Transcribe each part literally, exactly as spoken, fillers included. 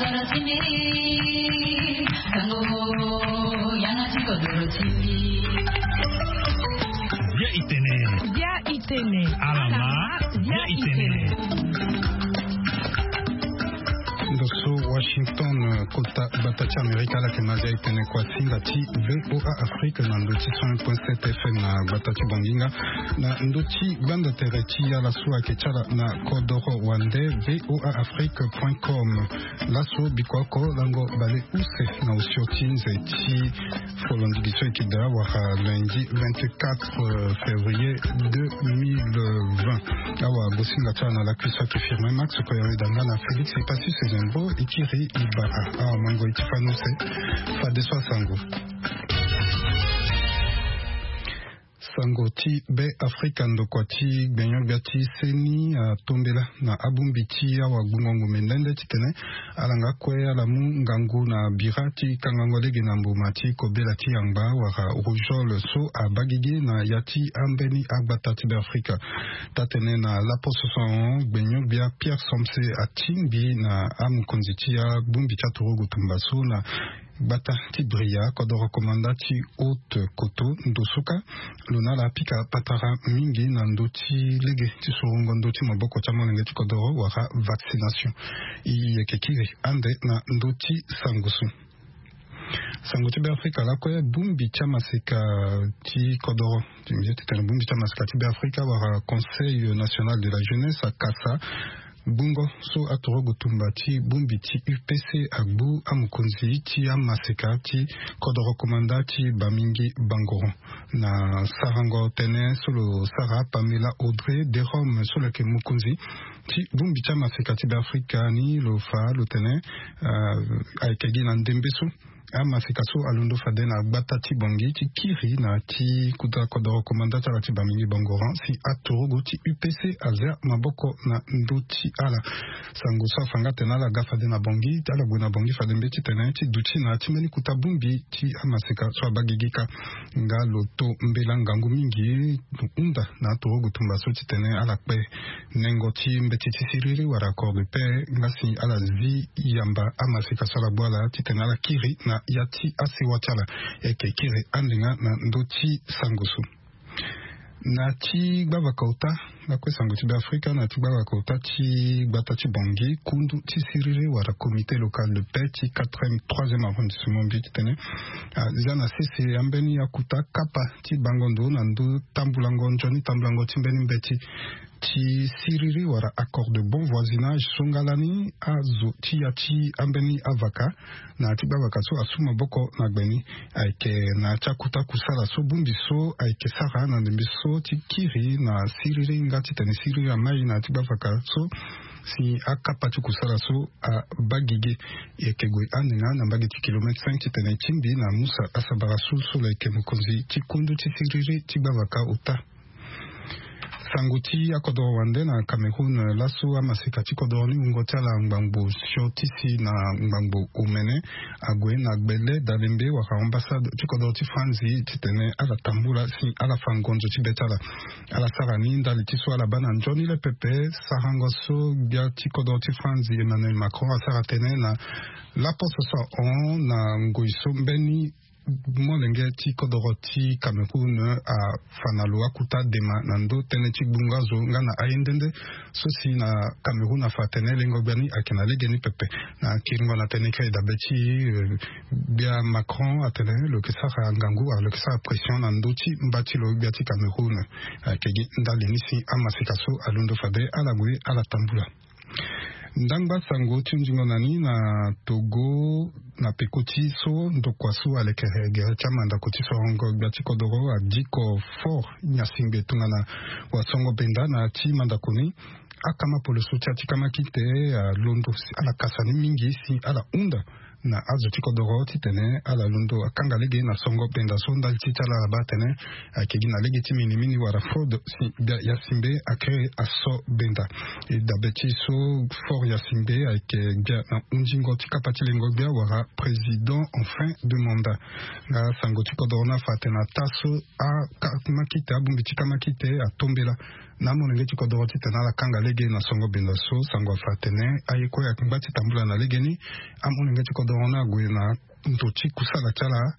Bia itene. Bia itene. Alama. Bia itene. Ndo so Washington, kota gbata ti Amerika, ala yeke ma bia itene kua ti nda ti V O A Afrique na ndo ti cent un point sept F M na gbata ti Banginga. Na ndo ti gbanda tere ti ala so ayeke ti ala na kodoro wande V O A Afrique point com. Laso biko oko lango bale use na osio ti nze ti folondigi so eke daa wala lundi vingt-quatre février deux mille vingt. Awa bosinga ti ala na lakui so ayeke Firmin Max, koyoro e da nga na Félix Ipassus Ezenbo, e kiri e bara. Awa mango e ti fani use. Fadeso asango. Sango ti Be Afrika, ndokua ti gbenyo-gbia ti seni atombela na abongbi ti awagbungo ngombe nde nde titene ala nga kue ala mu ngangu na bira ti kangango lege na mbuma ti kobela ti yangba wala rougeole so abaa gigi na ya ti ambeni agbata ti Be Afrika. Taa tene na laposo so ahon, gbenyo-gbia Pierre Somse atingbi na amokonzi ti abongbi ti aturugu tumba so na gbata ti Bria, kodoro komanda ti Haute-Kotto, ndo so ka lo na ala apika patara mingi na ndö ti lege ti sorongo ndö ti maboko ti amolenge ti kodoro wala vaccination. E yeke kiri ande na ndö ti sango so. Sango ti Be Afrika lakue, bongbi ti amaseka ti kodoro, ti titene bongbi ti amaseka ti Be Afrika wala Conseil National de la Jeunesse akasa gbungo so aturugu tumba ti bongbi ti U P C agbu amokonzi ti amaseka ti kodoro komanda ti Bamingi Bangoro. Na sarango tënë so lo sara, Pamela Audrey Derome so lo yeke mokonzi ti bongbi ti amaseka ti Be Afrika ni lo fa lo tene, ah, ayeke gi na ndembe so amaseka so alondo fade na gbata ti Bangui ti kiri na ya ti kota kodoro komanda ti ala ti Bamingi Bangoro si aturugu ti U P C azia maboko na ndö ti ala. Sango so afa nga tene ala ga fade na Bangui, ala gue na Bangui fade mbeti tene ti duti na ya ti mbeni kota bongbi ti amaseka so abaa gigi kâ. Nga lo to mbela ngangu mingi, lo hunda na aturugu tumba so titene ala kpe nengo ti mbeti ti siriri wala accord de paix, nga si ala zi yamba amaseka so ala gbu ala titene ala kiri na ya ti asewa ti ala. E yeke kiri ande nga na ndö ti sango so. Na ti gbavaka ota, lakue sango ti Be Afrika, na ti gbavaka ota ti gbata ti Bangui, kundu ti siriri wala comité local de paix ti quatrième, troisième arrondissement mbi titene, ah, zia na sese ambeni akuta kapa ti bango ndo na ndo tambulango, nzoni tambulango ti mbeni mbeti ti siriri wala accord de bon voisinage so nga lani azo ti ya ti ambeni avaka na ya ti gbavaka so asu maboko na gbe ni. Ayeke na ya ti akuta kusala so bongbi so ayeke sara na ndembe so ti kiri na siriri nga titene siriri amai na ya ti gbavaka so si akapa ti kusala so abaa gigi. E yeke gue ande nga na mbage ti kilomètre cinq titene e tingbi na Musa Asabara so, so lo yeke mokonzi ti kundu ti siriri ti gbavaka ota. Sango ti akodoro wande na Cameroun, laso amaseka ti kodoro ni wungo ti ala ngbangbo sio ti si na ngbangbo omene ague na gbele dalembe wala ambassade ti kodoro ti Franzi titene ala tambula si ala fa ngonzo ti be ti ala. Ala sara ni ndali ti so ala baa na nzoni le pepe sarango so gbia ti kodoro ti Franzi Emmanuel Macron asara tënë na laposo so ahon na ngoi so mbeni molenge ti kodoro ti Cameroun afa na lo akuta dema na ndo tënë ti gbungo azo nga na aye nde nde so si na Cameroun afa atene lengo gbia ni ayeke na legeni pepe. Na kiringo na tënë kiri dabe ti, eh, gbia Macron atene lo yeke sara ngangu wala lo yeke sara pression na ndö ti mba ti lo gbia ti Cameroun. Ayeke gi ndali ni si amaseka so alondo fade ala gue ala tambula. Ndangba sango ti hunzingo na ni na Togo, na peko ti so ndokua so alekere gere ti amandako ti sorongo gbia ti kodoro adiko fort nyasingbe tongana wasongo benda na ya ti mandako ni. Akama poloso ti ya ti kama kite alondo si ala kasa ni mingi si ala hunda Na azo ti kodoro titene ala londo akanga lege na songo benda so ndali ti ti ala ala baa atene ayeke gi na lege ti minimini wala fraude. Ya simbe akere aso benda. E dabe ti so fort ya simbe ayeke gbia na hundingo ti kapa ti lengo gbia wala président en fin de mandat. Nga sango ti kodoro ni afa atene ata so akamakite abongbi ti kamakite atombela na amolenge ti kodoro titene ala kanga lege na songo benda so sango afa atene aye kue ayeke ngba ti tambula na legeni. Amolenge ti kodoro ni ague na ndo ti kusala ti ala.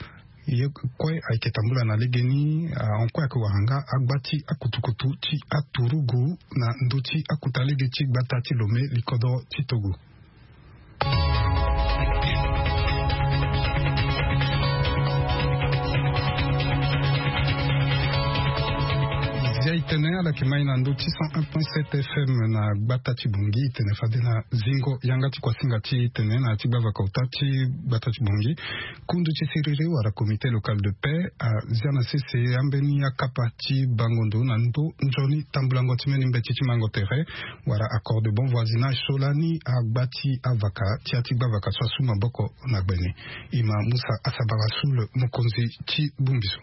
Ye kue ayeke tambula na legeni ahon kue ayeke wara nga agba ti akutukutu ti aturugu na ndö ti akuta lege ti gbata ti lome likodoro ti togo. Zia itene ala yeke mai na ndö ti cent un point sept F M na gbata ti bongi itene fade na zingo yanga ti kuasinga ti itene na ti gbavaka ota ti gbata ti bongi. Kundu ti siriri wala comité local de paix azia na sese ambeni akapa ti bango ndo na ndö nzoni tambulango ti mbeni mbeti ti mango tere wala accord de bon voisinage so lani agba ti avaka ti ya ti gbavaka so asu maboko na gbe ni. E ma musa asabara sul mokonzi ti bongbi so.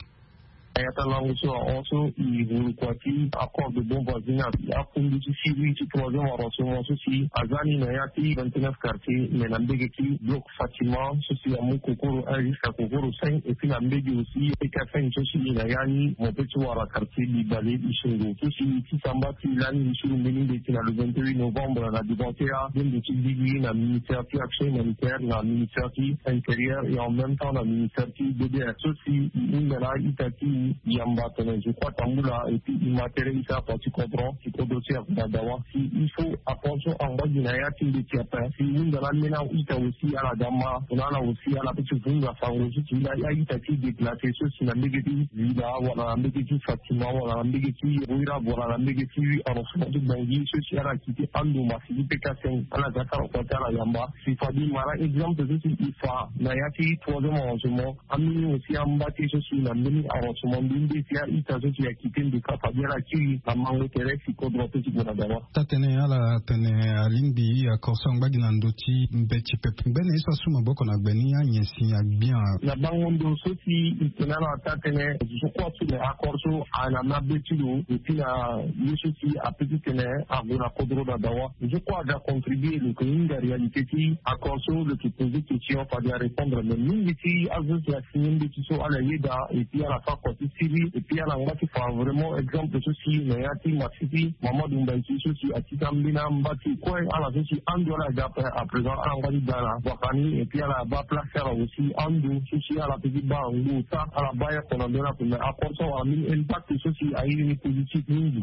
Na ya ti alango so ahon so e vuru kua ti accord de bon voisinage akundu ti siriri ti troisième arrondissement so si aza ni na ya ti vingt-neuf quartier mais na mbege ti bloc Fatima so si amu kokoro un jusqu'à kokoro cinq et puis na mbege aussi P K cinq so si na ya ni mo pe ti wara quartier Bibale Isongo so si ti samba ti lani lisuru mbeni mbeti na le vingt-huit novembre na devant T A bendo ti bigi na ministère ti action humanitaire na ministère ti intérieur et en même temps na ministère ti B D R so si i hunda na ita ti yamba tene je crois tambula et puis i ma tere ita afa ti kodro ti kodro ti afa na dawa. Si il faut attention angba gi na ya ti mbeti ape si i hunda na ambeni aita aussi ala ga ma tongana ala aussi ala pe ti vunga sango so si la ya ita ti déplacer so si na mbege ti vida wala na mbege ti fatima wala na mbege ti boira wala na mbege ti arrondissement ti bongi so si ala kiti ando ma si ti peka seng ala ga sara kua ti ala yamba. Si fadi mara exemple so si i fa na ya ti troisième arrondissement ambeni aussi amba ti so si na mbeni arrondissement mbi mbi si a ita so si akite ndeka fadi ala kiri na mango tere si kodro pe ti gue na dawa. Tatene ala tene alingbi akor so angba gi na ndo ti mbeti pepe ngbene ye so asu maboko na gbe ni anyen si agbia. Na bango ndo so si i tene ala tatene zo kua so le akor so ana ma be ti lo et puis na ye so si ape ti tene ague na kodro na dawa zo kua aga contribuer lo ke hinga réalité ti akor so lo ke poser question fade arépondre mais mingi ti azo si asigner mbeti so ala yeda et puis ala fa kua ti siri et puis ala ngba ti fa vraiment exemple so si na ya ti ma si ti mamadou mbaiki so si atita mbeni amba ti kue ala so si ando ala ga ape à présent ala ngba ti da na vaka ni et puis ala baa place ti ala aussi ando so si ala pe ti baa ngbo ota ala baa ye oko na ndö ni ape mais akor so awara mbeni impact so si airi ni positif mingi.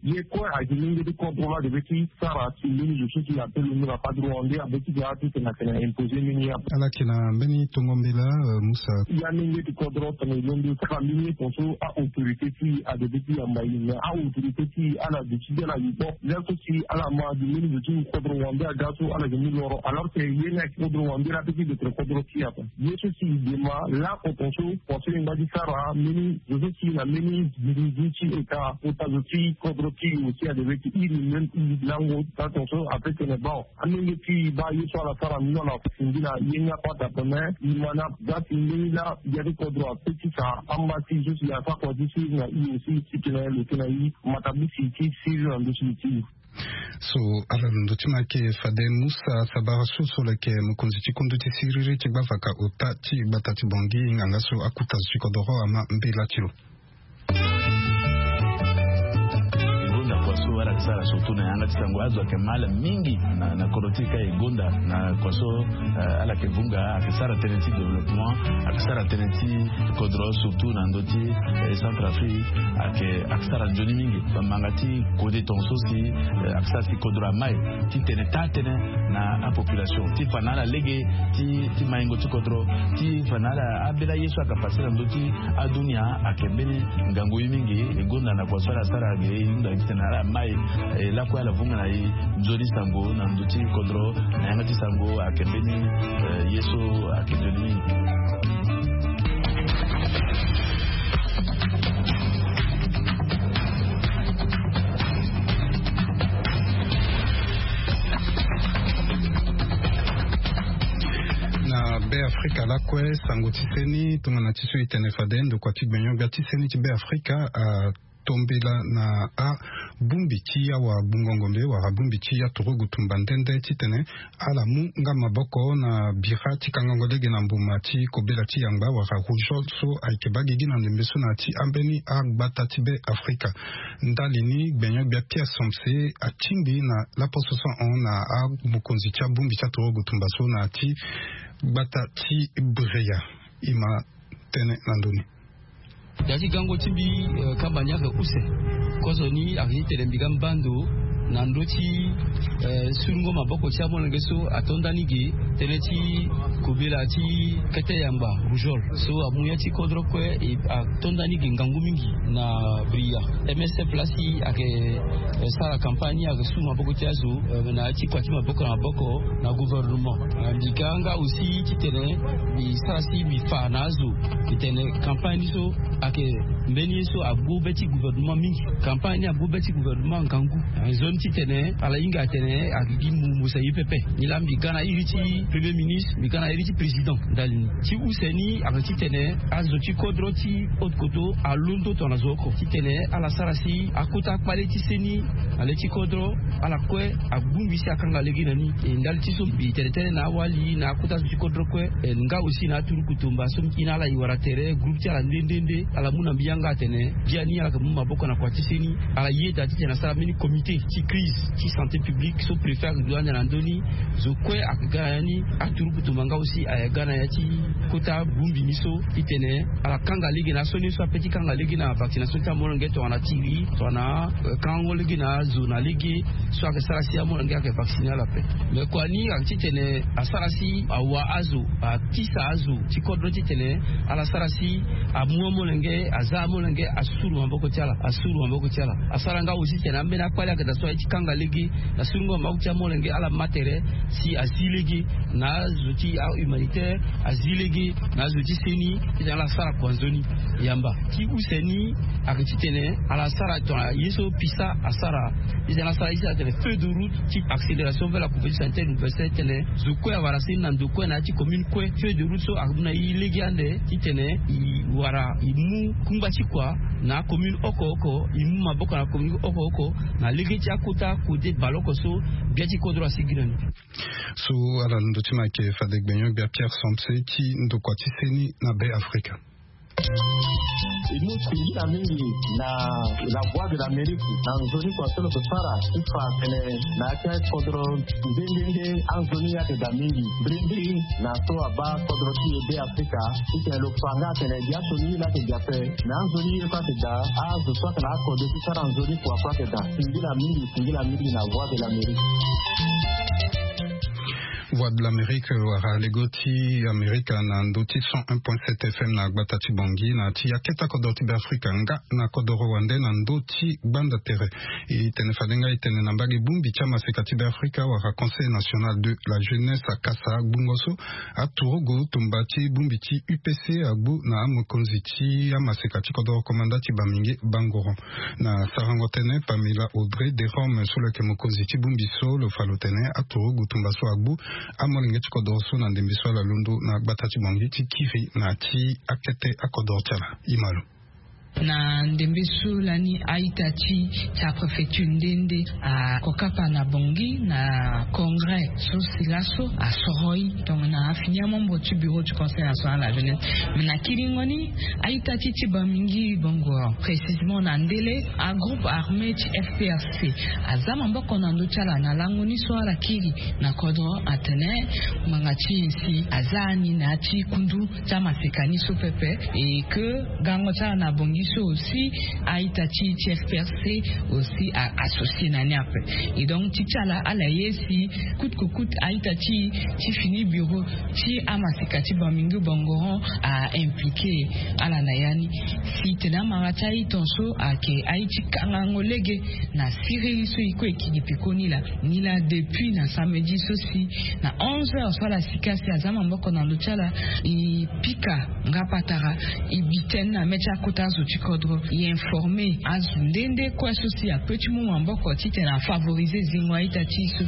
Ye kue ayeke lenge ti kodro la de be ti sara si mbeni zo so si ape londo na padre wande abe ti ga ti tena tena imposer mbeni ya. Ala yeke na mbeni tongo mbela. Musa ya lenge ti kodro tena e londo sara mbeni ye tonso a autorité ti ade be ti yamba ye mais a autorité ti ala de ti de ala ye bo la so si ala ma de mbeni zo ti kodro wande aga so ala yeke mu loro alors que ye ni ayeke kodro wande la pe ti betre kodro ti ape. Ye so si i dema lako tonso kua so i ngba ti sara mbeni zo so si na mbeni dirizi ti eta kota zo ti kodro ti i aussi ade be ti iri même i lango ta tonso ape tene bon. Alenge ti i baa ye so ala sara mbi no ala singila ye ni akpata ape mais i ma na za si mbeni laa ya ti kodro ape ti sa amba ti zo si asa kua ti siri na i aussi si tena lo tena i matabu si ti siri na ndo si ti i. So ala londo ti ma yeke fade musa sabara so so lo yeke mokonzi ti kundu ti siriri ti gbavaka ota ti gbata ti bongi nganga so akuta zo ti kodoro ama mbela ti lo. Gonda kua so ala yeke sara surtout na yanga ti sango azo ayeke ma ala mingi na kodro ti e ka e gonda na kua so ala yeke vunga ayeke sara tënë ti développement ayeke sara tënë ti kodro surtout na ndö ti centre afrique ayeke ayeke sara nzoni mingi bamanga ti kode tonga so si ayeke sara si kodro amai ti tene taa tënë na apopulation ti fa na ala lege ti maingo ti kodro ti fa na ala ambela ye so ayeke pase na ndö ti adunia ayeke mbeni ngangu ye mingi e gonda na kua so ala sara ge e hunda gi tene na ala mai e lakue ala vunga na e nzoni sango na ndö ti kodro na yanga ti sango ayeke mbeni ye so ayeke nzoni mingi. Na Be afrika lakue sango ti seni tongana ti so e tene fade ndokua ti gbenyo-gbia ti seni ti be afrika atombela na abongbi ti awa gbungo ngombe wala bongbi ti aturugu tumba nde nde titene ala mu nga maboko na bira ti kangango lege na mbuma ti kobela ti yangba wala rougeole so ayeke baa gigi na ndembe so na ya ti ambeni agbata ti be afrika. Ndali ni gbenyo-gbia pierre somse atingbi na laposo so ahon na amokonzi ti abongbi ti aturugu tumba so na ya ti gbata ti bria. E ma tene na ndö ni. Ya ti gango ti mbi, kamba ni ayeke use. Kozo ni ayeke ti tene mbi ga mba ndo na ndö ti surungo maboko ti amolenge so ato nda ni ge tënë ti kobela ti kete yangba rougeole so amu ya ti kodro kue. Ato nda ni ge ngangu mingi na bria. Msf lasi ayeke sara campagne ni ayeke su maboko ti azo na ya ti kua ti maboko na maboko na gouvernement. Mbi ga nga aussi titene mbi sara si mbi fa na azo titene campagne ni so ayeke mbeni ye so agbu be ti gouvernement mingi. Campagne ni agbu be ti gouvernement ngangu. Nzoni titene ala hinga atene ayeke gi mu mu sa ye pepe. Nilaa mbi ga na iri ti premier ministre, mbi ga na iri ti président ndali ni. Ti use ni ayeke titene azo ti kodro ti haute koto alondo tongana zo oko titene ala sara si akota akpale ti seni na le ti kodro ala kue agbu mbi si akanga lege na ni. E ndali ti so mbi tene tënë na awali na akota zo ti kodro kue. E nga aussi na aturuku tumba so mbi na ala e wara tere groupe ti ala nde nde nde ala mu na mbi yanga atene biani ala yeke mu maboko na kua ti seni. Ala yeda titene asara mbeni comité ti crise ti santé publique so préfet ayeke du ande na ndö ni. Zo kue ayeke ga na ya ni. Aturuku tumba nga aussi ayeke ga na ya ti kota bongbi ni so titene ala kanga lege na asioni so ape ti kanga lege na vaccination ti amolenge tongana tiri tongana kangango lege na azo na lege so ayeke sara si amolenge ayeke vaccine ala ape. Mais kua ni ayeke titene asara si awa azo akisa azo ti kodro titene ala sara si amu amolenge aza amolenge asuru maboko ti ala asuru maboko ti ala. Asara nga aussi titene ambeni akpale ayeke daa so aye ti kanga lege na surungo maboko ti amolenge ala ma tere si azi lege na azo ti ahumanitaire azi lege na azo ti seni titene ala sara kua nzoni. Yamba ti use ni ayeke titene ala sara tongana ye so pisa asara titene asara ye so atene feu de route ti accélération vers la couverture sanitaire universelle titene zo kue awara seni na ndo kue na ya ti commune kue. Feu de route so amu na e lege ande titene e wara e mu kungba ti kua na acommune oko oko e mu maboko na commune oko oko na lege ti akota kode baleoko so gbia ti kodro asigi na ni. So ala londo ti ma ayeke fade gbenyo-gbia pierre somse ti ndokua ti seni na be afrika. E mu singila mingi na la voie de l'amérique na nzoni kua so lo yeke sara ti fa tene na ya ti akodro nde nde nde anzoni ayeke daa mingi mbirimbiri na so abaa kodro ti e be afrika. Titene lo fa nga atene biaso ni ye laa ayeke daa ape. Na anzoni ye kue ayeke daa azo so ayeke na akode ti sara nzoni kua kue ayeke daa. Singila mingi singila mingi na voie de l'amérique. Voie de l'amérique wala lego ti amerika na ndö ti cent un point sept fm na gbata ti bongi na ti akete akodro ti be afrika nga na kodoro wande na ndö ti gbanda tere. E tene fade nga e tene na mbage bongbi ti amaseka ti be afrika wala conseil national de la jeunesse akasa gbungo so aturugu tumba ti bongbi ti upc agbu na amokonzi ti amaseka ti kodoro komanda ti bamingi bangoro. Na sarango tënë pamela audrey de rome so lo yeke mokonzi ti bongbi so lo fa lo tene aturugu tumba so agbu amolenge ti kodoro so na ndembe so ala londo na gbata ti bongi ti kiri na ti akete akodoro ti ala. E ma lo. Na ndembe so lani a-ita ti ti apréfecture nde nde akokapa na bongi na congrès so si laso asoro ye tongana afini amembre ti bureau du conseil national de la jeunesse. Mais na kiringo ni a-ita ti ti bamingi bongo précisément na ndele agroupe armé ti fprc aza maboko na ndö ti ala na lango ni so ala kiri na kodro atene ngbanga ti e si aza ni na ya ti kundu ti amaseka ni so pepe. Et que gango ti ala na bongi so aussi a-ita ti ti fprc aussi associé na ni ape. Et donc ti ti ala ala ye si coûte que coûte a-ita ti ti fini bureau ti amaseka ti bamingi bongoron a impliqué ala na ya ni. Si tene amara ti a-ita so ayeke aye ti kangango lege na siriri so e kue e kiri peko ni laa ni laa depuis na samedi so si na onze heures so ala sika si aza maboko na ndö ti ala e pika nga patara e bi tënë na mê ti akota zo. Ti kodro e informe azo nde nde kue so si ape ti mu maboko titene afavorize zingo a-ita ti e so.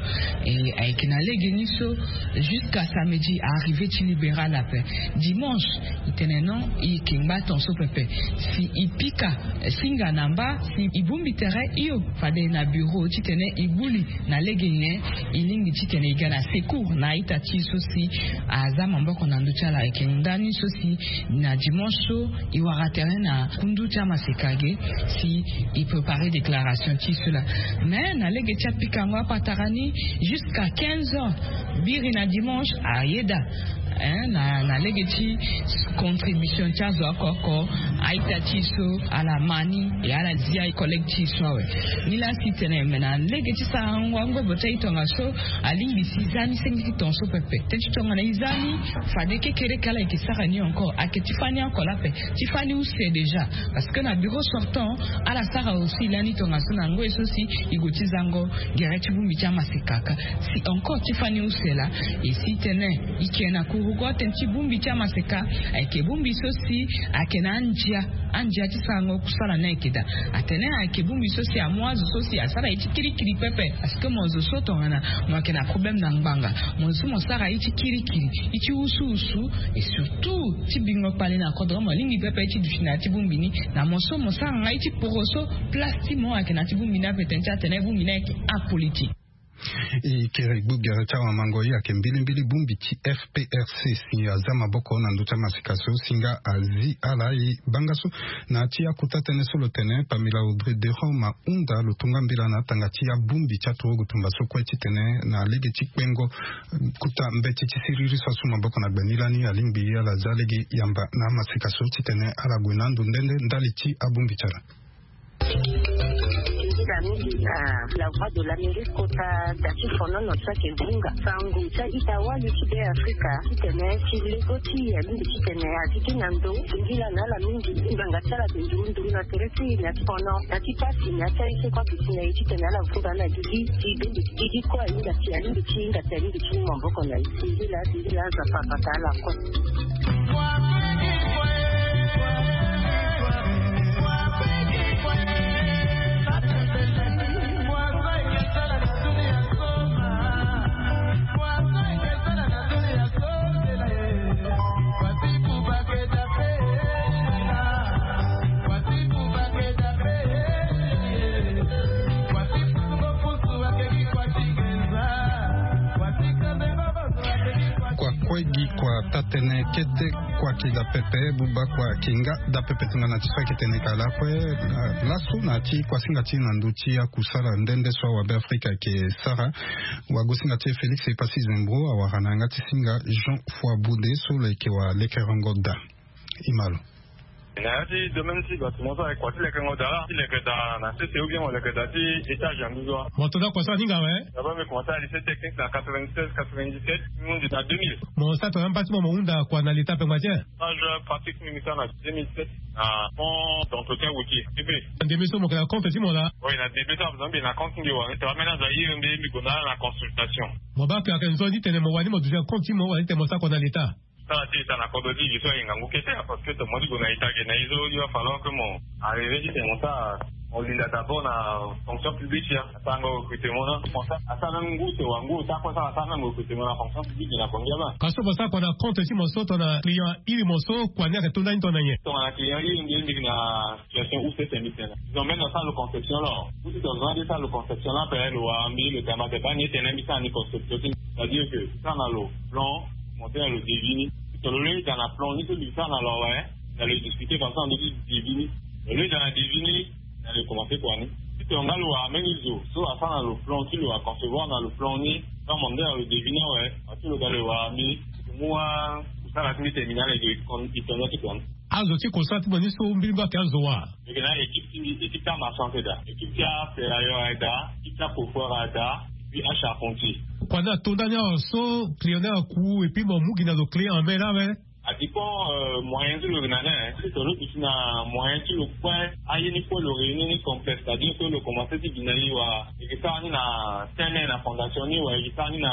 E ayeke na lege ni so jusqu'à samedi, arrivé ti libéral ape. Dimanche, e tene non, e yeke ngba ton so pepe. Si e pika singa na mba, si e bongbi tere, hio fade na bureau titene e gbu li na lege nyen e lingbi titene e ga na secours na a-ita ti e so si aza maboko na ndö ti ala. Ayeke ndani so si na dimanche so e wara tere na kundu ti amaseka ge si e prépare déclaration ti e so laa. Mais na lege ti apikango apatara ni, jusqu'à quinze heures, biri na dimanche ayeda, hein, na, na lege ti contribution ti azo oko oko a-ita ti e so ala ma ni, e ala zia collègue ti e so awe. Nilaa si tene me na lege ti sarango angobo ti a-e tongaso, alingbi si e za ni senge ti ton so pepe. Teti tongana e za ni, fade kekereke ala yeke sara ni encore. Ayeke ti fani oko laa ape, ti fani use déjà. Parce que na bureau sortant, ala sara aussi lani tongaso na ngoi so si e gue ti zango gere ti bongbi ti amaseka. Si encore ti fani use laa, e si tene e ke na kurugo tene ti bongbi ti amaseka, ayeke bongbi so si ayeke na andia, andia ti sarango kusala ni ayeke daa. Atene ayeke bongbi so si amu azo so si asara ye ti kirikiri pepe. Parce que mo zo so tongana mo yeke na problème na ngbanga, mo zo so mo sara ye ti kirikiri, ye ti wusuwusu, et surtout ti bingo kpale na kodro, mo lingbi pepe ti duti na ya ti bongbi ni. Na mo so mo sara nga ye ti poroso place ti mo ayeke na ya ti bongbi ni ape, tene ti atene bongbi ni ayeke apolitique. E kiri gbu gere ti awamango, e ayeke mbilimbili bongbi ti F P R C si aza maboko na ndö ti amaseka so si nga azi ala. E banga so na ya ti akota tënë so lo tene Pamela Audrey Durand ahunda, lo tonga mbela na atanga ti abongbi ti aturugu tumba so kue titene na lege ti kpengo kota mbeti ti siriri so asu maboko na gbe ni lani, alingbi ala za lege yamba na amaseka so titene ala gue na ando nde nde ndali ti abongbi ti ala. Nzila mingi na La Voix de l'Amérique kota da ti fonono ti ayeke vunga sango ti a-ita wali ti Beafrika titene ti lego ti e alingbi titene azi kiri na ndo. Singila na ala mingi ti ngbanga ti ala ayeke nduru nduru na tere ti e na ti fono na ti pasi na ya ti aye so kue ayeke si na e titene ala vunga na gigi ti bende gigi kue ahinga si alingbi ti hinga si alingbi ti mu maboko na e. Singila, singila, Nzapa abata ala kue. Kua kue gi kua taa-tënë kete, kua ki da pepe, buba kua ki nga da pepe. Tongana ti so ayeke tene ka lakue, eh, laso na ya ti kuasinga ti e na ndö ti akusala nde nde so awabe Afrika ayeke sara. Wagosinga ti e Félix Epassi Zembro awara na yanga ti singa Jean Foibaudet so lo yeke wa lekerengo da. E ma lo. Na ya ti domaine ti bâtiment so ayeke kua ti lekerengo da laa, ti leke da na sese ou bien mo leke da ti étage na nduzu wa. Mo to da kua so aninga awe. D'abord mbi commencé na lycée technique na quatre-vingt-seize quatre-vingt-dix-sept, mbi hundi na deux mille. Mo sara tongana mba ti mo, mo hunda kua na leta ape ngba ti e? Stage pratique mbi sara na deux mille sept na fonds d'entretien routier, D B. Ndembe so mo yeke na compte ti mo laa? Oui, na ndembe so azo mbi na compte ti mbi wa, tongana ambeni azo airi mbi, mbi gue na ala na consultation. Mo baa ke ayeke nzoni titene mo wani mo duti na compte ti mo wala titene mo sara kua na leta? Sara ti ita na kodro ti e so ahinga ngu kete, parce que tongana mo ti gue na ita ge na e so, il va falloir que mo arrivé titene mo sara, mo linda d'abord na fonction publique ya, asarango recrutement na, mo sara, asara même ngu sewa ngu ota kue, asara même recrutement na fonction publique na Bangui laa. Ka so mo sara kua na compte ti mo so tongana client airi mo so, kua ni ayeke to ndani tongana nyen? Tongana client airi mbi, mbi yeke na situation use tene mbi tene. Disons même na sara lo conception laa, ou si tongana mbi sara lo conception laa ape, lo wara mbi, lo tene mbi ake baa ni e tene mbi sara ni conception ti mbi. C'est-à-dire que sara na lo plan, monter na lo devis ni. Si tongana lo lei da na plan ni so mbi sara na lo awe, na lo discuter comme ça na ndö ti devis ni. Lo lei da na devis ni, na lo commencer kua ni. Si tongana lo wara mbeni zo so asara na lo plan ti lo, aconcevoir na lo plan ni, so amande na lo devis ni awe, aso lo ga lo wara mbi, lo mu akusala ti mbi tene mbi na ala e tondo ti kua ni. Azo ti kosala ti mo ni so mbilingbili ayeke azo wa? Mbi yeke na équipe ti mbi, équipe ti amarchand ti da, équipe ti aferailleur aye da, équipe ti acoffreur aye da, puis acharpentier. Kua ni ato ndani awa so client ni aku et puis mo mu gi na lo clé en main laa awe? A dépend, euh, moyen ti lo yeke na ni. Si tongana lo duti na moyen ti lo kue, aye ni kue lo réunir ni complet, c'est-à-dire que lo commencer ti gi na e wa, e yeke sara ni na terrain na fondation ni wa, e yeke sara ni na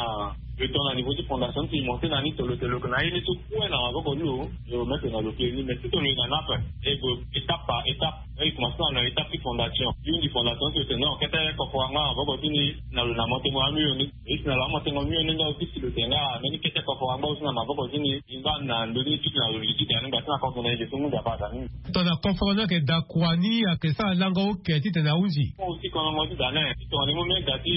Lo ton na niveau ti fondation ti monte na ni tolo tolo ke na ye ni so kue na maboko ni lo. Lo mete na lo kiri ni mais ti tolo na nape. E bo étape par étape. E commence na na étape ti fondation yo ndi fondation ti lo tene non kete kofo wanga na maboko ti ni. Na lo na mote mo ami yo ni. Isi na lo amote ngo mi yo ni nga osi si lo tene nga meni kete kofo wanga osi na maboko ti ni. Imba na ndo ni ti na lo liti tene nga ti na kofo na ye so ngu da ba da ni. Tongana kofo ni ayeke da kua ni ayeke sara lango oke titene ahunzi. Aussi kono ngo ti da na ye ti tongana ni mu mega ti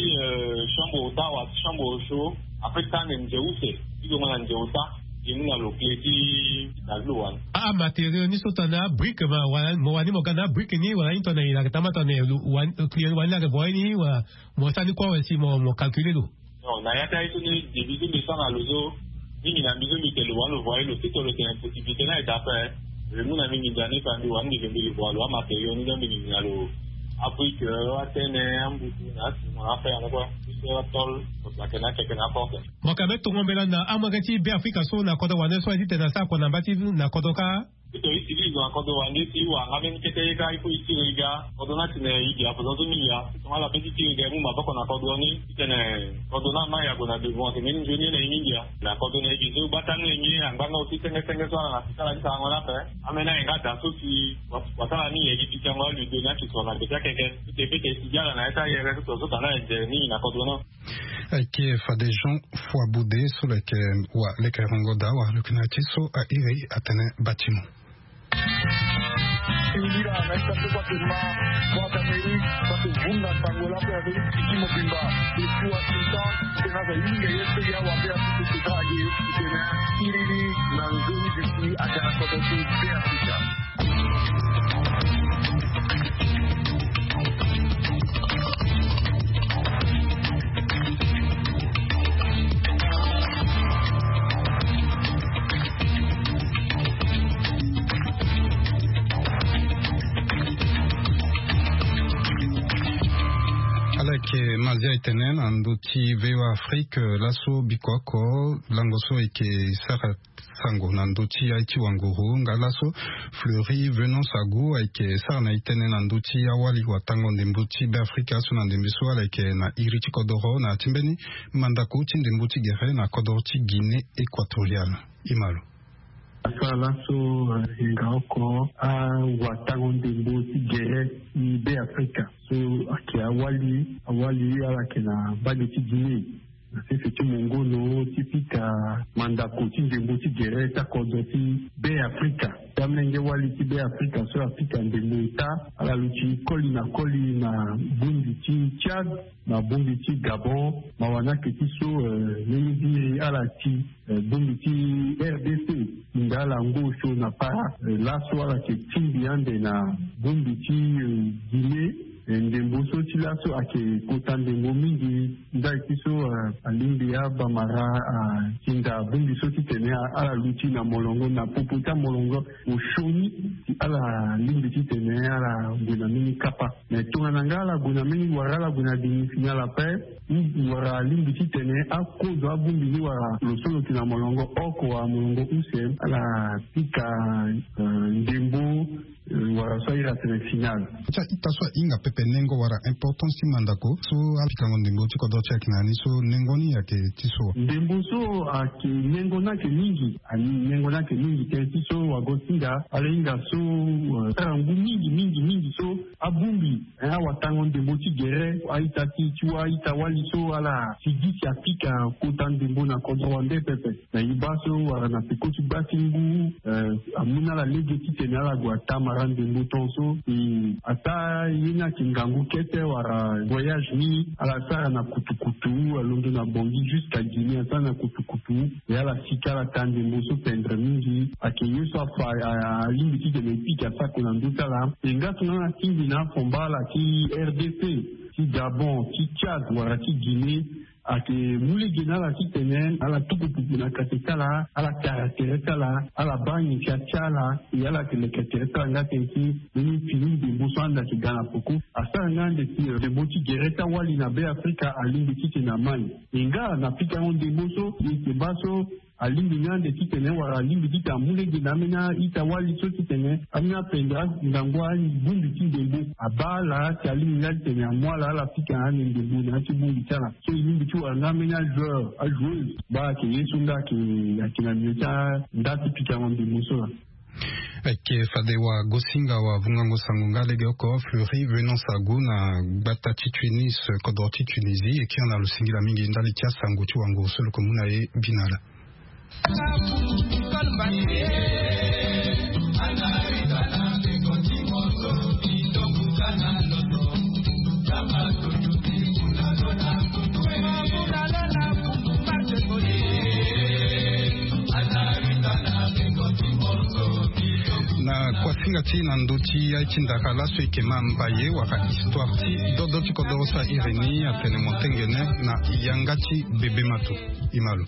chambre au tawa chambre au chaud. Après tande nze use ti zongo na nze uta. Ye mu na lo kle ti na lo wani. Amatériau ni so tongana abrique ma wala mo wani mo ga na abrique ni wala ni tongana ye na yeke tama tongana ye lo wani lo wani ayeke voye ni wala mo sara ni kue awe si mo mo calculer lo. Non na ya ti aye so ni début so mbi sara na lo so. Mingi na mbi so mbi te lo wani lo voye lo ti to lo tene possibilité ni aye daa ape. Lo mu na mbi nginza ni fa mbi wani mbi ke mbi lo voye lo amatériau ni so mbi nginza na lo. Abrique atene ambutu na asimo na afer yango kue. Ti so atol. Kotula tene akeke na aporte. Mo yeke ambeni tongo mbela na amolenge ti Beafrika so na kodro wande so aye titene asara kua na mba ti na kodro kâ. Ti to e sigi e zo na kodro wande si e wara nga mbeni kete ye kâ il faut e tiri e ga. Kodro ni atene e gi aposon so mingi ya. Ti tongana ala pe ti tiri e ga e mu maboko na kodro ni titene kodro ni ama e ague na devant tene mbeni nzoni ye na e mingi ya. Na kodro na e gi so gbata ni e ngi angba nga aussi senge senge so ala na si ti ala ti sarango ni ape. Ambeni aye nga da so si wasara ni e gi pikango aludo ni ake so na gbe ti akeke. Ti te pe te e sigi ala na ya ti ayere so to so tana e nze mingi na kodro ni. Ayeke fade Jean Foiboude so lo yeke wa lekerengo daa wala lo yeke na ya ti so a iri atene bâtiment. Singila na ita so kua ke ma Voix d'Amérique kua ke vunga sango lape avec tiki mobimba. Depuis Washington tena za yinga ye so ya wabe ya tiki tena age tena siriri na nzoni bisi aga na kodro ti Beafrika. Ala yeke mazia etene na ndö ti VOA Afrique laso biko oko lango so eke sara sango na ndö ti aye ti wanguru nga laso. Fleury Venance Agu ayeke sara na e tënë na ndö ti awali watango ndembo ti Beafrika so na ndembe so ala yeke na iri ti kodoro na ya ti mbeni mandako ti ndembo ti gere na kodoro ti Guinée Équatoriale. Imalo asara laso hinga oko awatango ndembo ti gere ti Beafrika so ayeke awali awali ala yeke na mbage ti Guinée. Na sese ti mongono ti pika mandako ti ndembo ti gere ti akodro ti Beafrika. Ti amolenge wali ti Beafrika so apika ndembo eta ala luti koli na koli na bongbi ti Tchad na bongbi ti Gabon. Mawa ni ayeke ti so ndenge ti iri ala ti bongbi ti RDC. Hinga ala ngu osio na para laso ala yeke tingbi ande na bongbi ti Guinée. Ndembo so ti laso ayeke kota ndembo mingi. Ndali ti so alingbi abamara atinda bongbi so titene ala luti na molongo na popo ti amolongo. Osioni si ala lingbi titene ala gue na mbeni kapa. Me tongana nga ala gue na mbeni wara ala gue na demi-finale ape. Wara alingbi titene akozo abongbi ni wara lo so lo yeke na molongo oko wala molongo use ala pika ndembo. Wara so ahiri atene finale. Ti a-ita so ahinga pepe nengo wara importance ti mandako so apikango ndembo ti kodro ti ayeke na ni so nengo ni ayeke ti so. Ndembo so ayeke nengo ni ayeke mingi. Nengo ni ayeke mingi tënë ti so wago ti hinga ala hinga so sara ngu mingi mingi mingi so abongbi awatango ndembo ti gere a-ita ti ti wa a-ita wali so ala sigi si apika kota ndembo na kodro wande pepe. Na e baa so wala na peko ti baa ti ngu amu na ala lege titene ala gue atamara ndembo ton so. E ataa ye ni ayeke ngangu kete wala voyage ni ala sara na kutukutu alondo na Bangui jusqu'à Guinée asara na kutukutu. E ala sika ala taa ndembo so pendre mingi ayeke ye so afa alingbi titene e pika sako na ndö ti ala. E nga tongana atingbi na afomba ala ti RDC ti Gabon ti Tchad wala ti Guinée. Ayeke mu lege na ala titene ala tuku pupu na kate ti ala ala kara tere ti ala ala baa nyen si atia ala. E ala yeke leke tere ti ala nga tënë ti mbeni fini ndembo so ande ayeke ga na peko. Asara nga ande si ndembo ti gere ti awali na Beafrika alingbi titene amai. E nga na pikango ndembo so e yeke baa so alingbi ni ande titene wala alingbi titene amu lege na ambeni a-ita-wali so titene ambeni apendere ngangu abongbi ti ndembo. Abaa ala si alingbi ni ande titene amu ala ala pika na ande ndembo na ya ti bongbi ti ala. So e lingbi ti wara nga ambeni ajoueur ajoueuse baa ayeke ye so nga ayeke ayeke na nio ti andaa ti pikango ndembo so laa. Ayeke fade wagosinga wavungango sango nga legeoko Fleury Venance Agu na gbata ti Tunis, kodro ti Tunisie, e kiri na lo singila mingi ndali ti asango ti wango so lo yeke mu na e bina laa. Na kuasinga ti na ndö ti aye ti ndara laso e yeke ma mbaye wala histoire ti dodo ti kodoro so a iri ni atene motengene na yanga ti bebe mato. E ma lo.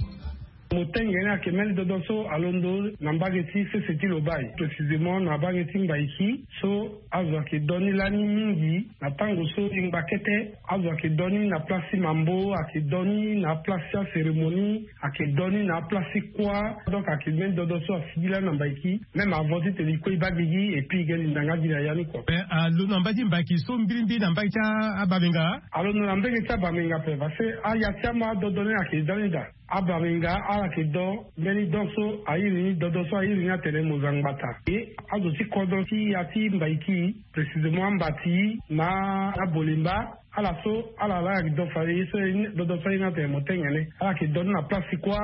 Motengene ayeke mbeni dodo so alondo na mbage ti sese ti Lobaye, précisément na mbage ti Mbaiki. So azo ayeke do ni lani mingi na tango so e ngba kete. Azo ayeke do ni na place ti mambo, ayeke do ni na place ti acérémonie, ayeke do ni na place ti kuâ. Donc ayeke mbeni dodo so asigi lani na Mbaiki, même avant titene e kue e baa gigi et puis e ga linda nga gi na ya ni kua. Mais alondo na mbage ti Mbaiki so mbirimbiri na mbage ti a- abamenga? Alondo na mbage ti abamenga ape parce que aya ti ama adodo ni ayeke da ni daa. Abamenga ala yeke do mbeni do so a iri ni, dodo so a iri ni atene Mozangbata. E azo ti kodro ti ya ti Mbaiki, précisément Ambati na Abolemba, ala so ala laa ayeke do fade ye so, dodo so a iri ni atene motengene. Ala yeke do ni na place ti kuâ,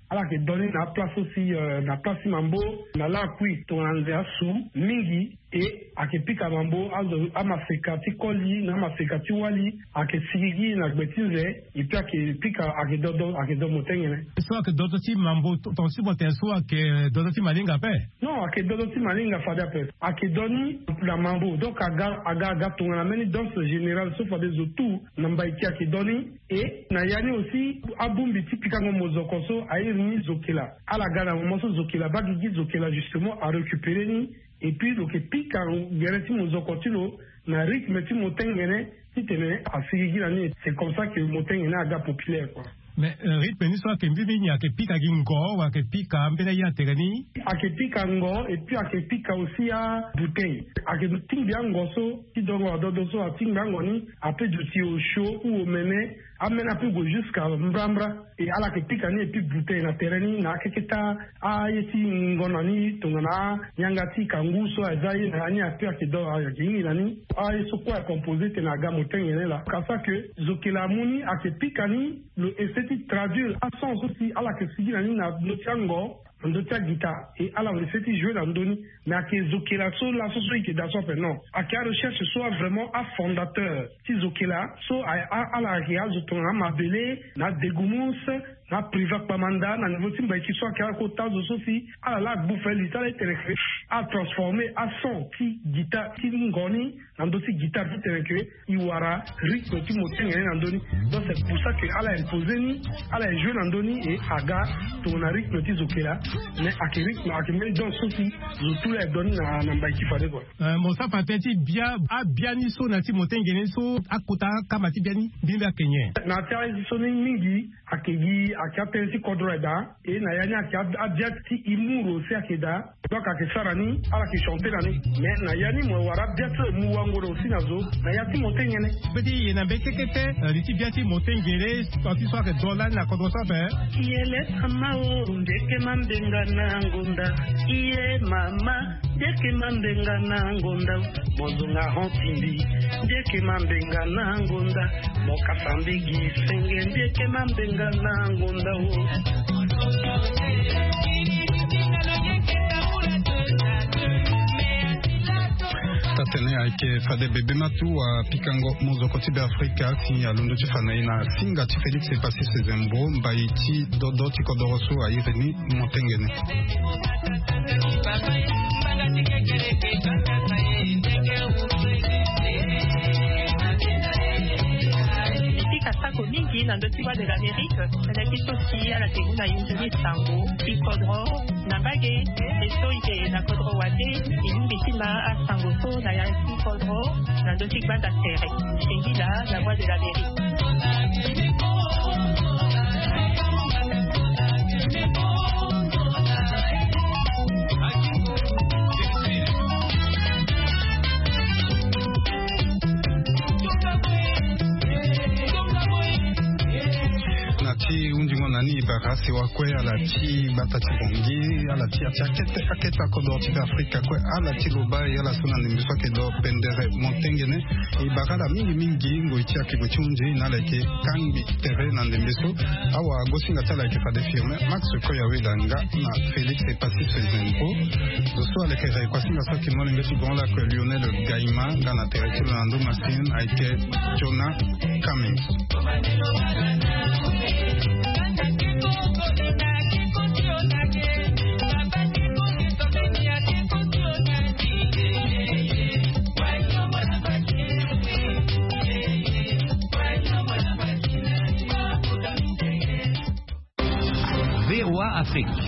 ala yeke do ni na aplace so si, euh, na place ti mambo, na lakui tongana nze asu mingi. E ayeke pika mambo, azo amaseka ti koli na amaseka ti wali ayeke sigigi na gbe ti nze. Et puis ayeke pika, ayeke dodo, ayeke do motengene. So ayeke dodo ti mambo to- tonga ti mo tene so ayeke dodo ti malinga ape? Non, ayeke dodo ti malinga fade ape. Ayeke do ni na mambo, donc aga aga aga tongana mbeni danse générale so fade zo tout na Mbaiki ayeke do ni. E na ya ni aussi abongbi ti pikango mozoko so a iri ni zokela. Ala ga na moment so zokela abaa gigi, zokela justement arécupéré ni. Et puis lo yeke pika gere ti mozoko ti lo na rythme ti motengene titene asigigi na ni. C'est comme ça que motengene aga populaire quoi. Mais, euh, rythme ni so ayeke mbirimbiri ni ayeke pika gi ngo wala ayeke pika mbeni aye na tere ni? Ayeke pika ngo et puis ayeke pika aussi abouteille. Ayeke tingbi ango so ti dongo adodo so atingbi ango ni, ape duti osio ou omene, amene ape gue jusqu'à mbrambra. E ala yeke pika ni et puis bouteille na tere ni na akeke ti aye ti ngonda ni tongana yanga ti kangu so aza ye na ya ni ape ayeke do ayeke hingi na ni. Aye so kue acomposé tene aga motengene laa. Ka so ayeke zokela amu ni ayeke pika ni, lo essaie ti traduire ason so si ala yeke sigi na ni na ndö ti ango, na ndö ti aguitare. E ala essaie ti jouer na ndö ni. Mais ayeke zokela so laso so e yeke daa so ape non. Ayeke arecherche so avrément afondateur ti zokela so a- a- ala ayeke azo tongana amabele na adegumus na apriva kpamanda na niveau ti Mbaiki so ayeke akota azo so si ala laa agbu fali ti ala ti tene ke atransformer ason ti guitare ti ngo ni na ndö ti guitare ti tene ke e wara rythme ti motengene na ndö ni. Donc c'est pour ça que ala imposer ni, ala e jouer na ndö ni et aga tongana rythme ti zokela. Mais ayeke rythme ayeke mbeni danse so si zo tout laa e do ni na na Mbaiki fade kua. Euh, mo sara fa tënë ti bia abia ni so na ya ti motengene so akota akamba ti bia ni mbirimbiri ayeke nyen? Na ya ti aye so ni mingi ayeke gi ayeke atënë ti kodro aye daa. E na ya ni ayeke ab- abia ti humour aussi ayeke daa. Donc ayeke sara ni, ala yeke chanter na ni. Mais na ya ni mo wara abia so e mu wango na aussi na zo na ya ti motengene. Mbeti ye na mbeti kete, euh, li ti bia ti motengene, so ti so ayeke do lani na kodro so ape. Yele sama o, ndeke mambenga na ngonda. Iye mama, ndeke mambenga na ngonda. Mo zonga hon timbi, ndeke mambenga na ngonda. Mo kasa mbigi senge, ndeke mambenga na ngonda o. Tatene ayeke fade bebe matu apikango mozoko ti Beafrika si alondo ti fa na e na singa ti Félix Epassy Sezembo mbai ti dodo ti kodoro so a iri ni motengene. Mbi pika sako mingi na ndö ti Voix de l'Amérique, na ya ti so si ala yeke mu na yunzoni sango ti kodro na mbage. E so e yeke na kodro wande, e lingbi ti ma asango so na ya ti kodro na ndö ti gbanda tere. Singila, la Voix de l'Amérique. Asi wa kue ala ti gbata ti bongi, ala ti ati akete akete akodoro ti be afrika kue, ala ti lobai ala so na ndembe so ake do pendere montengene. E bara ala mingi mingi ngoi ti akego ti hundi na ala yeke kangbi tere na ndembe so. Awa gosinga ti ala yeke fade firme max koya weda nga na félix et passis zenpo. Zo so aleke rei kuasinga so ake molenge ti gongo lake lionel gaima nga na tere ti lo na ndo masine ayeke jona. Kami. Veroa afrique.